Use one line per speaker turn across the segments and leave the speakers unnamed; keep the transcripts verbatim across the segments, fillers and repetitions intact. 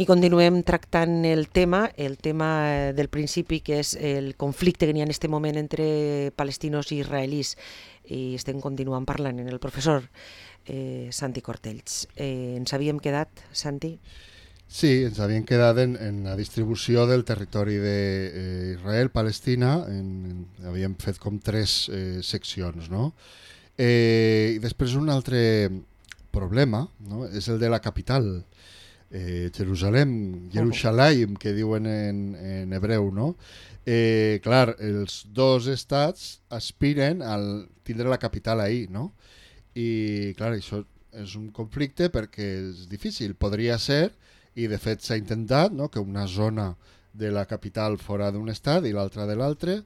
I continuem tractant el tema, el tema del principi, que és el conflicte que n'hi ha en aquest moment entre palestinos i israelís. I estem continuant parlant amb el professor eh, Santi Cortells. Eh, ens havíem quedat, Santi?
Sí, ens havíem quedat en, en la distribució del territori d'Israel-Palestina. En, en, havíem fet com tres eh, seccions, no? Eh, I després un altre problema, no? És el de la capital. Eh, Jerusalem, Jerusalem, que diuen en, en hebreu, no? Eh, clar, els dos estats aspiren a tindre la capital ahí, no? I clar, això és un conflicte perquè és difícil. Podria ser, i de fet s'ha intentat, no? Que una zona de la capital fora d'un estat i l'altra de l'altre,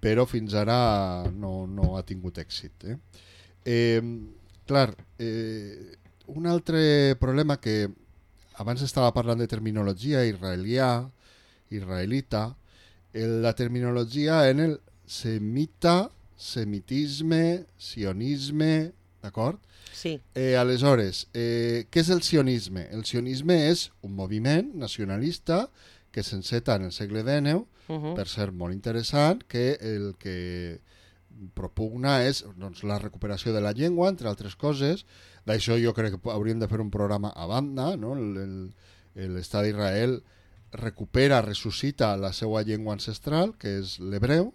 però fins ara no, no ha tingut èxit. Eh? Eh, clar, eh, un altre problema que abans estava parlant de terminologia israelià, israelita, la terminologia en el semita, semitisme, sionisme, d'acord?
Sí.
Eh, aleshores, eh, què és el sionisme? El sionisme és un moviment nacionalista que s'enceta en el segle dinou, uh-huh. per ser molt interessant, que el que propugna és doncs, la recuperació de la llengua, entre altres coses. D'això jo crec que hauríem de fer un programa a banda, no? L'Estat d'Israel recupera, ressuscita la seva llengua ancestral, que és l'hebreu,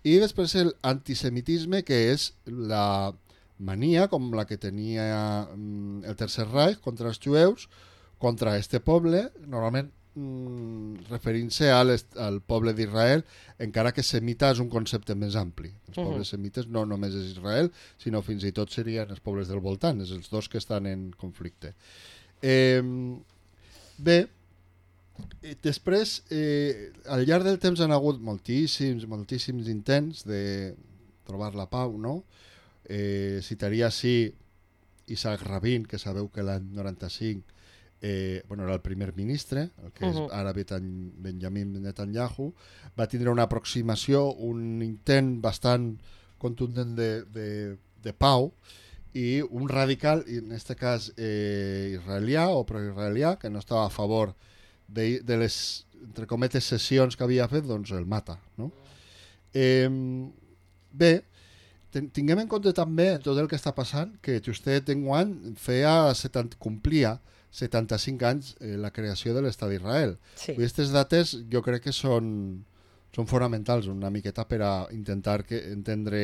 i després l'antisemitisme, que és la mania, com la que tenia el Tercer Reich contra els jueus, contra este poble, normalment mm, referint-se al, al poble d'Israel, encara que semita és un concepte més ampli. Els uh-huh. pobles semites no només és Israel, sinó fins i tot serien els pobles del voltant, és els dos que estan en conflicte. Eh, bé, després, eh, al llarg del temps han hagut moltíssims, moltíssims intents de trobar la pau, no? Eh, citaria així Isaac Rabin, que sabeu que l'any noranta-cinc Eh, bueno, era el primer ministre, el que uh-huh. és ara Benjamin Netanyahu, va tindre una aproximació, un intent bastant contundent de, de, de pau, i un radical, en aquest cas eh, israelià o pro-israelià, que no estava a favor de, de les, entre cometes, sessions que havia fet, doncs el mata. No? Eh, bé, ten, tinguem en compte també tot el que està passant, que justet enguany feia setanta, complia setanta-cinc anys eh, la creació de l'Estat d'Israel.
Sí.
Aquestes dates jo crec que són, són fonamentals una miqueta per a intentar que, entendre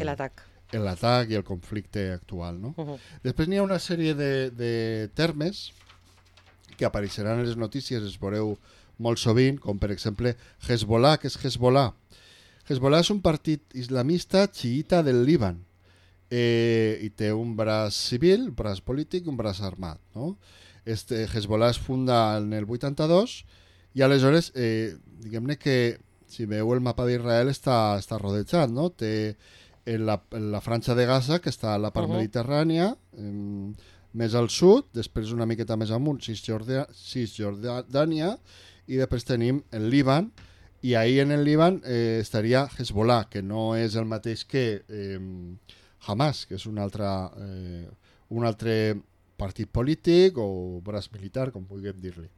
l'atac
l'atac i el conflicte actual. No?
Uh-huh.
Després n'hi ha una sèrie de, de termes que apareixeran en les notícies, es veureu molt sovint, com per exemple Hezbollah. Què és Hezbollah? Hezbollah és un partit islamista xiita del Líban. Eh, i té un braç civil, un braç polític i un braç armat. No? Este Hezbollah es funda en el vuitanta-dos i aleshores, eh, diguem-ne que si veu el mapa d'Israel està, està rodejat, no? Té en la, en la franja de Gaza, que està a la part uh-huh. mediterrània, eh, més al sud, després una miqueta més amunt, Cisjordània, Cisjordània, i després tenim el Líban, i ahí en el Líban eh, estaria Hezbollah, que no és el mateix que eh, Hamas, que és un altre, eh, un altre partit polític o braç militar, com vulguem dir-li.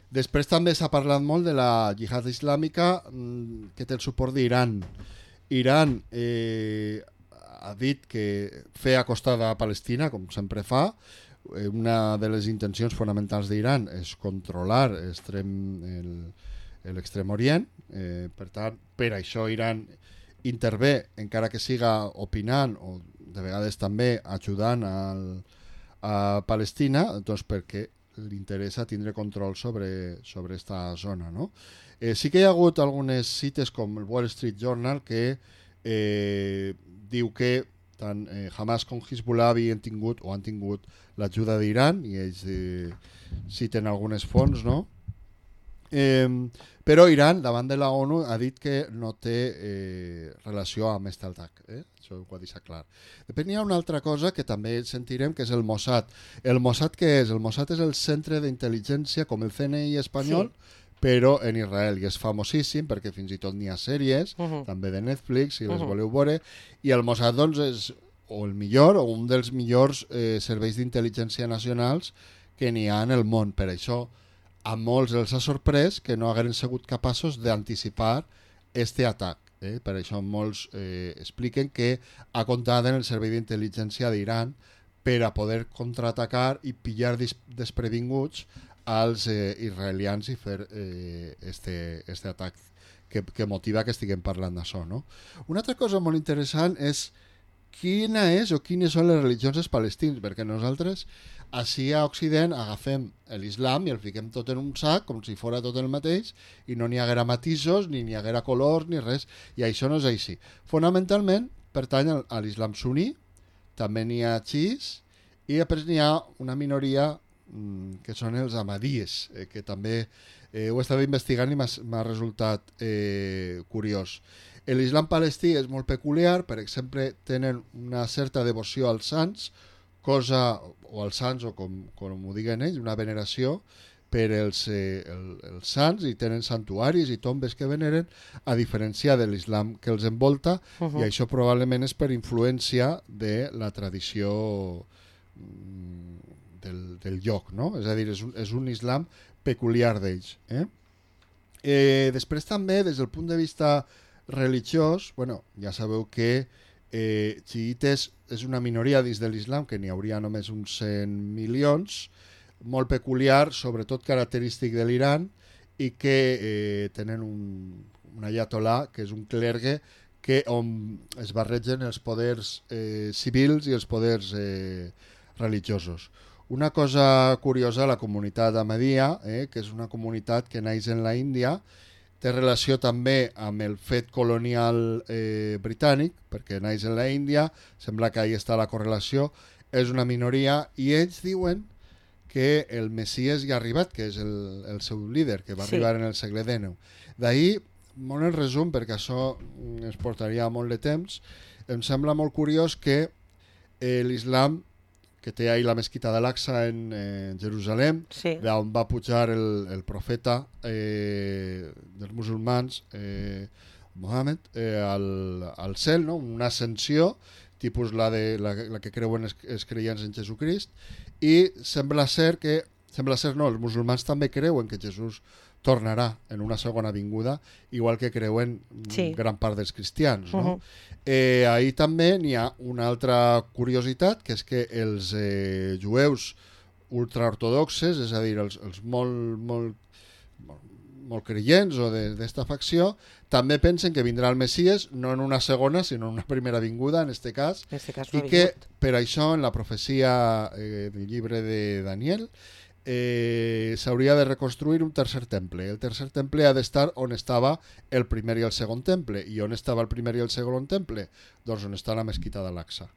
Després també s'ha parlat molt de la jihad islàmica mmm, que té el suport d'Iran. Iran eh, ha dit que feia acostada a Palestina, com sempre fa. Eh, una de les intencions fonamentals d'Iran és controlar l'extrem orient. Eh, per tant, per això Iran intervé, encara que siga opinant o de vegades també ajudant al, a Palestina, doncs perquè li interessa tindre control sobre, sobre esta zona. No? Eh, sí que hi ha hagut algunes cites com el Wall Street Journal que eh, diu que tant eh, Hamas com Hezbollah havien tingut o han tingut l'ajuda d'Iran i ells eh, citen algunes fonts, no? Eh, però Iran, davant de la ONU, ha dit que no té eh, relació amb aquest atac. Eh? Això ho ha deixat clar. Després hi ha una altra cosa que també sentirem, que és el Mossad. El Mossad què és? El Mossad és el centre d'intel·ligència com el C N I espanyol, sí. però en Israel, i és famosíssim perquè fins i tot n'hi ha sèries, uh-huh. també de Netflix, si les uh-huh. voleu veure, i el Mossad doncs, és o el millor o un dels millors eh, serveis d'intel·ligència nacionals que n'hi ha en el món. Per això a molts els ha sorprès que no hagueren sigut capaços d'anticipar este atac. Eh? Per això molts eh, expliquen que ha comptat en el servei d'intel·ligència d'Iran per a poder contraatacar i pillar desprevinguts als eh, israelians i fer eh, este, este atac que, que motiva que estiguem parlant d'això. No? Una altra cosa molt interessant és quina és o quines són les religions dels palestins, perquè nosaltres així a Occident agafem l'islam i el fiquem tot en un sac com si fos tot el mateix i no n'hi haguera matisos, ni n'hi haguera colors, ni res, i això no és així. Fonamentalment pertany a l'islam suní, també n'hi ha xiís i després n'hi ha una minoria mmm, que són els ahmadíes, eh, que també eh, ho estava investigant i m'ha resultat eh, curiós. L'islam palestí és molt peculiar, per exemple, tenen una certa devoció als sants, cosa, o als sants, o com, com ho diguen ells, una veneració per els, eh, el, els sants, i tenen santuaris i tombes que veneren, a diferència de l'islam que els envolta, uh -huh. i això probablement és per influència de la tradició del, del lloc, no? És a dir, és un, és un islam peculiar d'ells. Eh? Eh, després també, des del punt de vista religiós, bueno, ja sabeu que eh, xiites és una minoria dins de l'islam, que n'hi hauria només uns cent milions, molt peculiar, sobretot característic de l'Iran, i que eh, tenen un, un ayatolà, que és un clergue, que on es barregen els poders eh, civils i els poders eh, religiosos. Una cosa curiosa, la comunitat ahmadiyya, eh, que és una comunitat que naix en la Índia, té relació també amb el fet colonial eh, britànic, perquè naix en la Índia, sembla que ahí està la correlació, és una minoria, i ells diuen que el Messies ja ha arribat, que és el, el seu líder, que va sí. arribar en el segle dinou. D'ahir, molt en resum, perquè això ens portaria molt de temps, em sembla molt curiós que eh, l'islam, que té ahir la mesquita d'Al-Aqsa en eh, Jerusalem, sí. d'on va pujar el, el profeta eh, dels musulmans, eh, Mohammed, eh, al, al cel, no? Una ascensió, tipus la, de, la, la que creuen els, els creients en Jesucrist, i sembla ser que, sembla ser no, els musulmans també creuen que Jesús tornarà en una segona vinguda, igual que creuen sí. gran part dels cristians. No? Uh-huh. eh, ahí també n'hi ha una altra curiositat, que és que els eh, jueus ultraortodoxes, és a dir, els, els molt, molt, molt, molt creients o d'esta facció, també pensen que vindrà el Messies, no en una segona, sinó en una primera vinguda, en este cas,
en este cas
i que per això en la profecia eh, del llibre de Daniel eh, s'hauria de reconstruir un tercer temple. El tercer temple ha d'estar on estava el primer i el segon temple. I on estava el primer i el segon temple? Doncs on està la mesquita d'Al-Aqsa.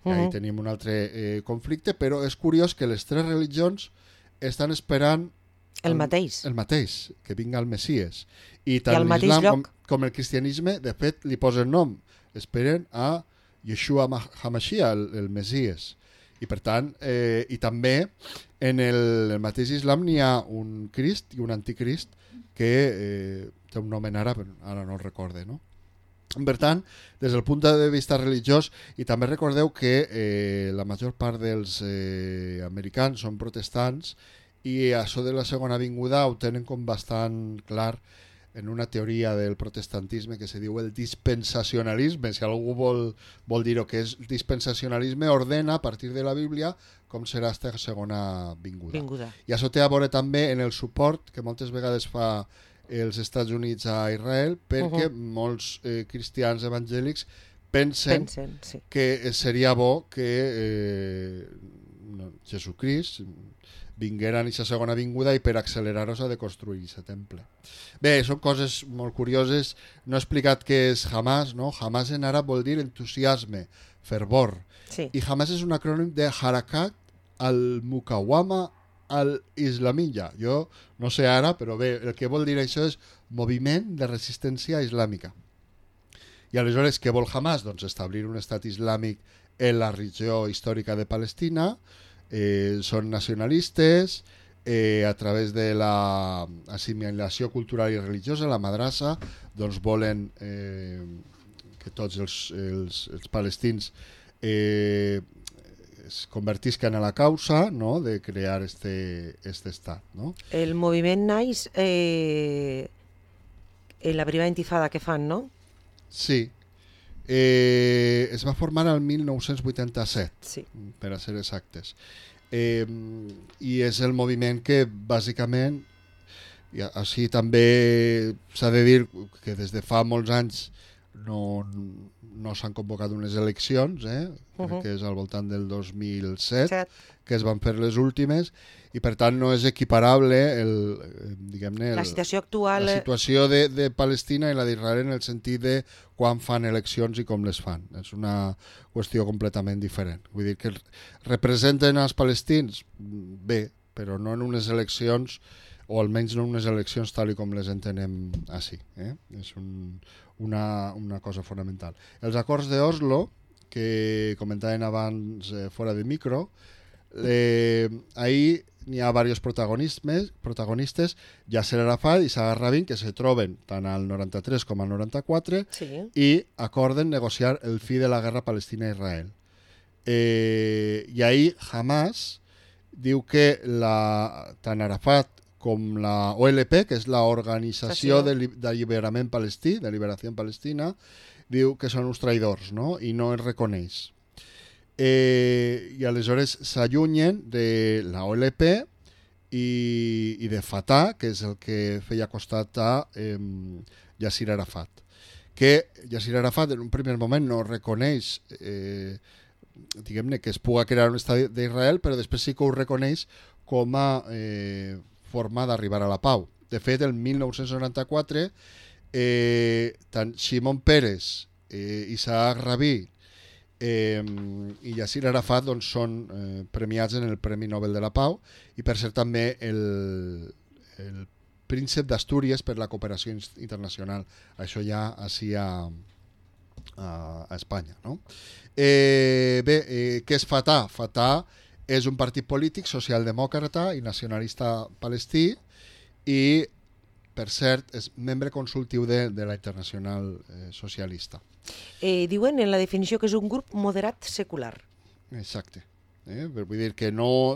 Uh-huh. Ahí tenim un altre eh, conflicte, però és curiós que les tres religions estan esperant
el, el mateix,
el mateix, que vinga el Messies. I tant l'islam com, com el cristianisme, de fet, li posen nom. Esperen a Yeshua HaMashiach, el, el Messies. I per tant, eh, i també en el, el mateix islam n'hi ha un Crist i un anticrist que eh, té un nom en àrab, ara no el recorde, no? Per tant, des del punt de vista religiós, i també recordeu que eh, la major part dels eh, americans són protestants, i això de la segona vinguda ho tenen com bastant clar en una teoria del protestantisme que se diu el dispensacionalisme. Si algú vol, vol dir-ho, que és dispensacionalisme, ordena a partir de la Bíblia com serà aquesta segona vinguda.
vinguda.
I això té a veure també en el suport que moltes vegades fa els Estats Units a Israel, perquè uh-huh. molts eh, cristians evangèlics pensen, pensen sí. que seria bo que eh, no, Jesucrist vinguera en aquesta segona vinguda i per accelerar-ho s'ha de construir aquest temple. Bé, són coses molt curioses. No he explicat què és Hamas, no? Hamas en àrab vol dir entusiasme, fervor.
Sí.
I Hamas és un acrònim de Harakat al-Mukawama al-Islamiyya. Jo no sé ara, però bé, el que vol dir això és moviment de resistència islàmica. I aleshores, què vol Hamas? Doncs establir un estat islàmic en la regió històrica de Palestina. Eh, són nacionalistes, eh, a través de la assimilació cultural i religiosa, la madrassa, doncs volen eh, que tots els, els, els palestins eh, es convertiscan a la causa, no?, de crear este, este estat, no?
El moviment naix eh, en la primera intifada que fan, no?
Sí. Eh, es va formar el mil nou-cents vuitanta-set,
sí.
per a ser exactes. Eh, I és el moviment que, bàsicament, i així també s'ha de dir que des de fa molts anys no, no s'han convocat unes eleccions, eh? uh-huh. Crec que és al voltant del dos mil set Set. que es van fer les últimes, i per tant no és equiparable el, diguem-ne, el,
la situació actual,
la situació de, de Palestina i la d'Israel en el sentit de quan fan eleccions i com les fan. És una qüestió completament diferent. Vull dir que representen els palestins bé, però no en unes eleccions, o almenys no unes eleccions tal i com les entenem així. Eh? És un, una, una cosa fonamental. Els acords d'Oslo, que comentaven abans eh, fora de micro, eh, ahí n'hi ha diversos protagonistes, protagonistes Yasser Arafat i Isaac Rabin, que se troben tant al noranta-tres com al noranta-quatre
sí.
i acorden negociar el fi de la guerra Palestina-Israel. Eh, I ahí Hamas diu que la, tant Arafat com la O L P, que és l'Organització de d'Alliberament Palestí, de Liberació Palestina, diu que són uns traïdors, no?, i no es reconeix. Eh, I aleshores s'allunyen de la O L P i, i de Fatah, que és el que feia costat a eh, Yasser Arafat. Que Yasser Arafat en un primer moment no reconeix eh, diguem-ne que es pugui crear un estat d'Israel, però després sí que ho reconeix com a eh, forma d'arribar a la pau. De fet, el mil nou-cents noranta-quatre eh, tant Shimon Peres, eh, Isaac Rabin eh, i Yasser Arafat doncs, són eh, premiats en el Premi Nobel de la Pau, i per ser també el, el príncep d'Astúries per la cooperació internacional. Això ja així a, a, a Espanya, no? Eh, bé, eh, què és Fatah? Fatah és un partit polític socialdemòcrata i nacionalista palestí i, per cert, és membre consultiu de, de la Internacional eh, Socialista.
Eh, diuen en la definició que és un grup moderat secular.
Exacte. Eh? Vull dir que no...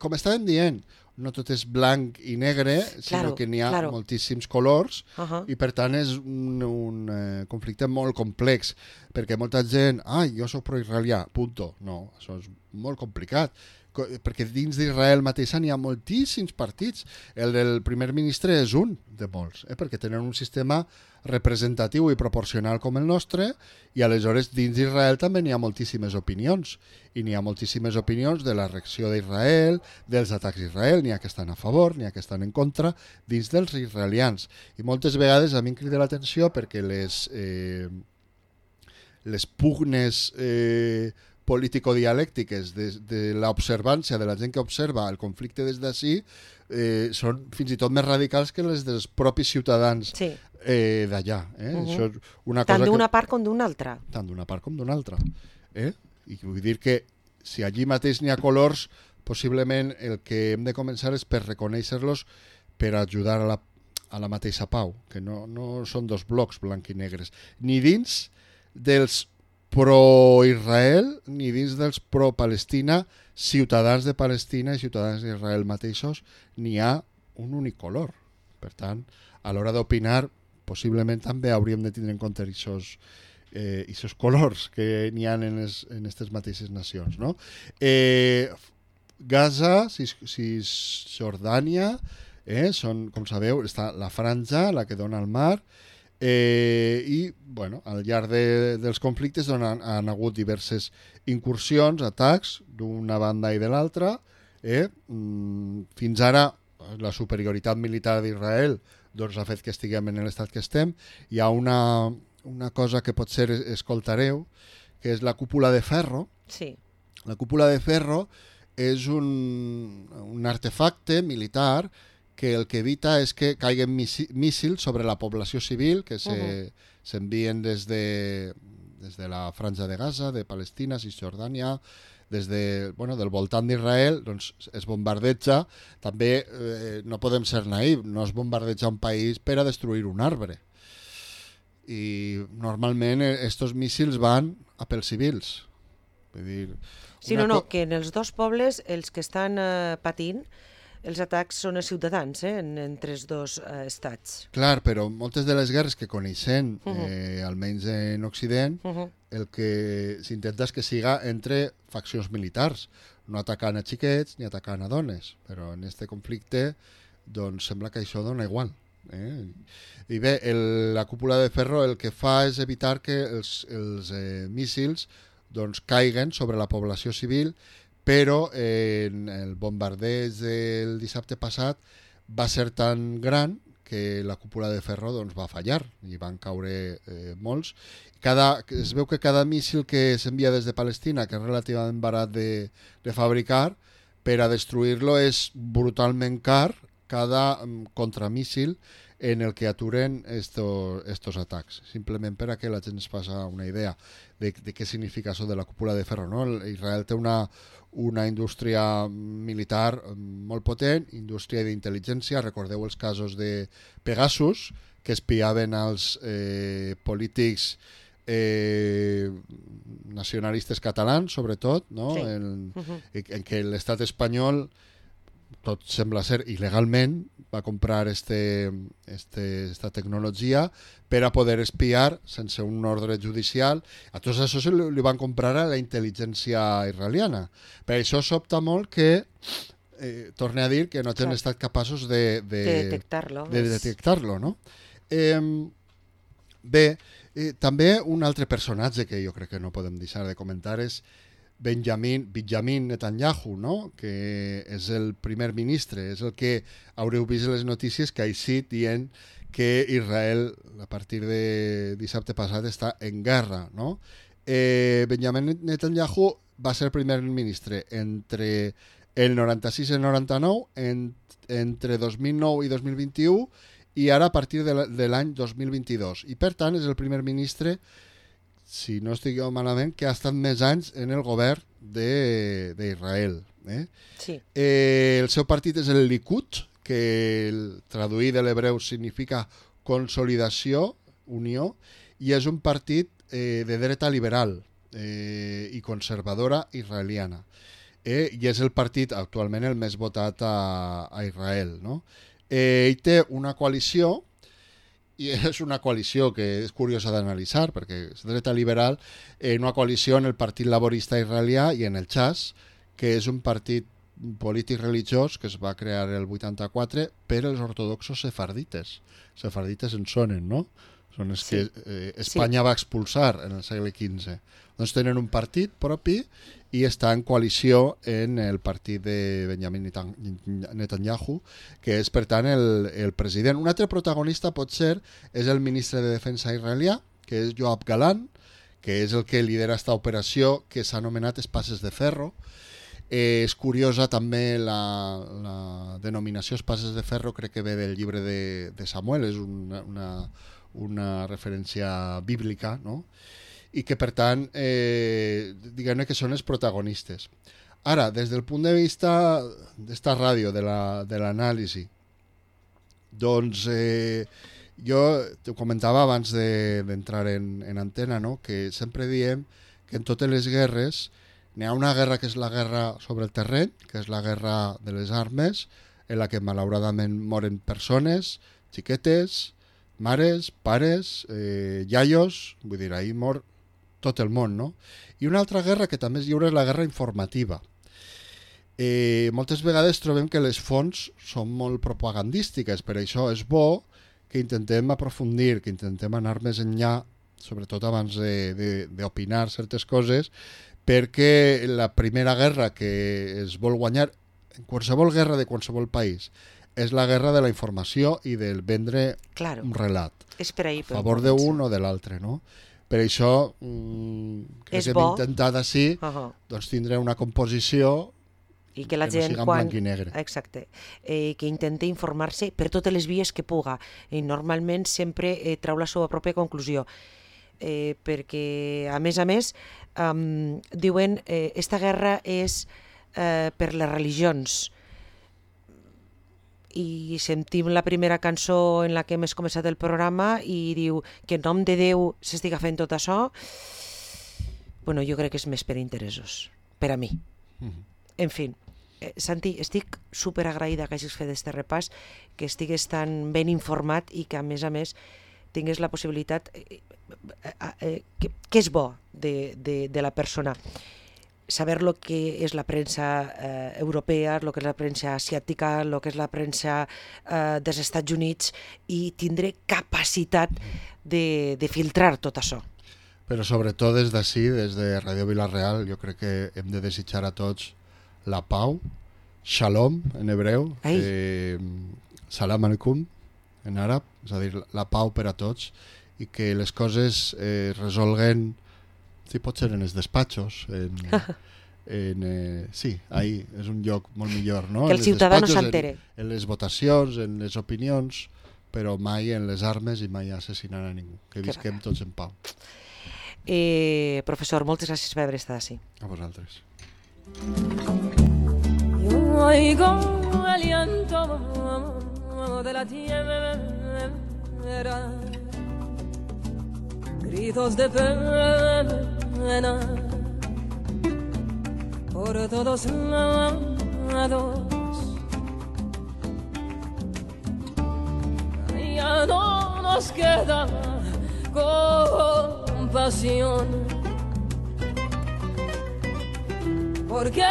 Com estàvem dient, no tot és blanc i negre, sinó
claro,
que n'hi ha
claro.
moltíssims colors
uh-huh.
i per tant és un, un eh, conflicte molt complex, perquè molta gent, ai, jo soc pro-israelià, punto. No, això és molt complicat, perquè dins d'Israel mateixa n'hi ha moltíssims partits. El del primer ministre és un de molts, eh? perquè tenen un sistema representatiu i proporcional com el nostre, i aleshores dins d'Israel també n'hi ha moltíssimes opinions, i n'hi ha moltíssimes opinions de la reacció d'Israel, dels atacs d'Israel, n'hi ha que estan a favor, n'hi ha que estan en contra, dins dels israelians. I moltes vegades a mi em crida l'atenció perquè les, eh, les pugnes eh, político-dialèctiques de, de l'observància de la gent que observa el conflicte des d'ací eh, són fins i tot més radicals que les dels propis ciutadans sí. eh, d'allà. Eh? Uh-huh. Això és una
tant
cosa
d'una
que...
part com d'una altra.
Tant d'una part com d'una altra. Eh? I vull dir que si allí mateix n'hi ha colors, possiblement el que hem de començar és per reconèixer-los per ajudar a la, a la mateixa pau, que no, no són dos blocs blanc i negres, ni dins dels pro-Israel ni dins dels pro-Palestina, ciutadans de Palestina i ciutadans d'Israel mateixos, n'hi ha un únic color. Per tant, a l'hora d'opinar, possiblement també hauríem de tindre en compte aquests eh, colors que n'hi ha en aquestes mateixes nacions. No? Eh, Gaza, Cisjordània, eh, són, com sabeu, està la franja, la que dona al mar, Eh, i bueno, al llarg de, dels conflictes on han, han hagut diverses incursions, atacs d'una banda i de l'altra. Eh? Mm, fins ara la superioritat militar d'Israel doncs, ha fet que estiguem en l'estat que estem. Hi ha una, una cosa que potser escoltareu, que és la cúpula de ferro.
Sí.
La cúpula de ferro és un, un artefacte militar que el que evita és que caiguen míssils sobre la població civil que s'envien uh-huh. des, de, des de la franja de Gaza, de Palestina, Cisjordània, des de, bueno, del voltant d'Israel, doncs es bombardeja. També eh, no podem ser naïf, no es bombardeja un país per a destruir un arbre. I normalment estos míssils van a pels civils. Vull dir,
Sí, no, no, que en els dos pobles els que estan eh, patint els atacs són els ciutadans, eh, en, entre els dos eh, estats.
Clar, però moltes de les guerres que coneixem, uh -huh. eh, almenys en Occident, uh -huh. el que s'intenta és que siga entre faccions militars, no atacant a xiquets ni atacant a dones, però en aquest conflicte doncs sembla que això dona igual. Eh? I bé, el, la cúpula de ferro el que fa és evitar que els, els eh, míssils doncs, caiguen sobre la població civil, però eh, el bombardeig del dissabte passat va ser tan gran que la cúpula de ferro doncs, va fallar i van caure eh, molts. Cada, es veu que cada míssil que s'envia des de Palestina, que és relativament barat de, de fabricar, per a destruir-lo és brutalment car cada um, contramíssil en el que aturen estos, estos atacs. Simplement per a que la gent es faça una idea de, de què significa això de la cúpula de ferro. No? Israel té una, una indústria militar molt potent, indústria d'intel·ligència. Recordeu els casos de Pegasus, que espiaven als eh, polítics eh, nacionalistes catalans, sobretot, no?
Sí.
en,
uh-huh.
en què l'estat espanyol, tot sembla ser il·legalment, va comprar este, este, esta tecnologia per a poder espiar sense un ordre judicial. A tots això se li, li van comprar a la intel·ligència israeliana. Per això sobta molt que, eh, torne a dir, que no han estat capaços de, de,
de detectar-lo.
De detectar-lo, no? Eh, bé, eh, també un altre personatge que jo crec que no podem deixar de comentar és Benjamin, Benjamin Netanyahu, no? Que és el primer ministre, és el que haureu vist les notícies que ha eixit dient que Israel, a partir de dissabte passat, està en guerra, no? Eh, Benjamin Netanyahu va ser primer ministre entre el noranta-sis i el noranta-nou, en, entre dos mil nou i dos mil vint-i-u, i ara a partir de l'any dos mil vint-i-dos. I per tant és el primer ministre, si no estic jo malament, que ha estat més anys en el govern d'Israel. Eh?
Sí.
Eh, el seu partit és el Likud, que el traduït de l'hebreu significa consolidació, unió, i és un partit eh, de dreta liberal eh, i conservadora israeliana. Eh, I és el partit actualment el més votat a, a Israel. No? Eh, ell té una coalició, i és una coalició que és curiosa d'analitzar, perquè és dreta liberal, en una coalició en el Partit Laborista Israelià i en el Chas, que és un partit polític religiós que es va crear el vuitanta-quatre per als ortodoxos sefardites. Sefardites en sonen, no? Són els sí. que eh, Espanya sí. va expulsar en el segle quinze. Doncs tenen un partit propi i està en coalició en el partit de Benjamin Netanyahu, que és, per tant, el, el president. Un altre protagonista pot ser és el ministre de Defensa israelià, que és Yoav Galan, que és el que lidera esta operació que s'ha anomenat Espases de Ferro. Eh, és curiosa també la, la denominació Espases de Ferro, crec que ve del llibre de, de Samuel, és una, una, una referència bíblica, no? I que, per tant, eh, diguem-ne que són els protagonistes. Ara, des del punt de vista d'esta ràdio, de l'anàlisi, la, doncs eh, jo t'ho comentava abans d'entrar de, en, en antena, no? Que sempre diem que en totes les guerres n'hi ha una guerra que és la guerra sobre el terreny, que és la guerra de les armes, en la que malauradament moren persones, xiquetes, mares, pares, eh, iaios, vull dir, ahir mor tot el món, no? I una altra guerra que també és lliure és la guerra informativa. Eh, moltes vegades trobem que les fonts són molt propagandístiques, per això és bo que intentem aprofundir, que intentem anar més enllà, sobretot abans d'opinar certes coses, perquè la primera guerra que es vol guanyar en qualsevol guerra de qualsevol país és la guerra de la informació i del vendre
claro.
un relat
és per ahí,
a favor d'un o de l'altre, no? Per això mmm, crec
és
que
bo.
hem intentat així
uh -huh.
doncs tindre una composició
i que la
que
gent,
no siga en
quan...
blanc i negre.
Exacte. Eh, que intenti informar-se per totes les vies que puga. I normalment sempre eh, trau la seva pròpia conclusió. Eh, perquè, a més a més, um, diuen eh, esta guerra és eh, per les religions. I sentim la primera cançó en la que hem començat el programa i diu que en nom de Déu s'estiga fent tot això. Bueno, jo crec que és més per interessos. per a mi. En fi, eh, Santi, estic super agraïda que hagis fet aquest repàs, que estigues tan ben informat i que, a més a més, tingués la possibilitat... Eh, eh, eh, que, que és bo de, de, de la persona. Saber lo que és la premsa eh, europea, lo que és la premsa asiàtica, lo que és la premsa eh, dels Estats Units, i tindré capacitat de, de filtrar tot això.
Però sobretot des d'ací, des de Ràdio Vila-real, jo crec que hem de desitjar a tots la pau, shalom en hebreu, eh, salam alaikum en àrab, és a dir, la pau per a tots, i que les coses eh, resolguen, si pot ser en els despatxos, en, en, eh, sí, ahí és un lloc molt millor, no?
Que el ciutadà no s'entere.
En, en les votacions, en les opinions, però mai en les armes i mai assassinant a ningú. Que visquem tots en pau.
Eh, professor, moltes gràcies per haver estat així.
A vosaltres.
Yo oigo el llanto de la tierra, gritos de pena por todos lados. Ya no nos queda compasión. ¿Por qué?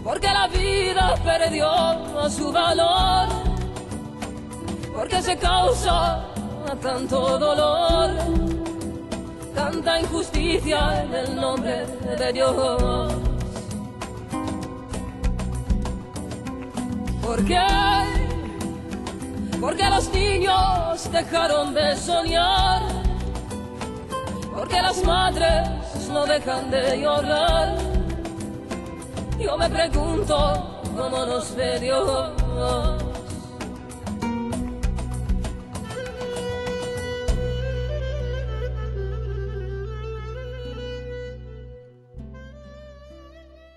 Porque la vida perdió su valor, porque se causa tanto dolor, tanta injusticia en el nombre de Dios. ¿Por qué? Porque los niños dejaron de soñar, porque las madres no dejan de llorar. Yo me pregunto cómo nos ve Dios.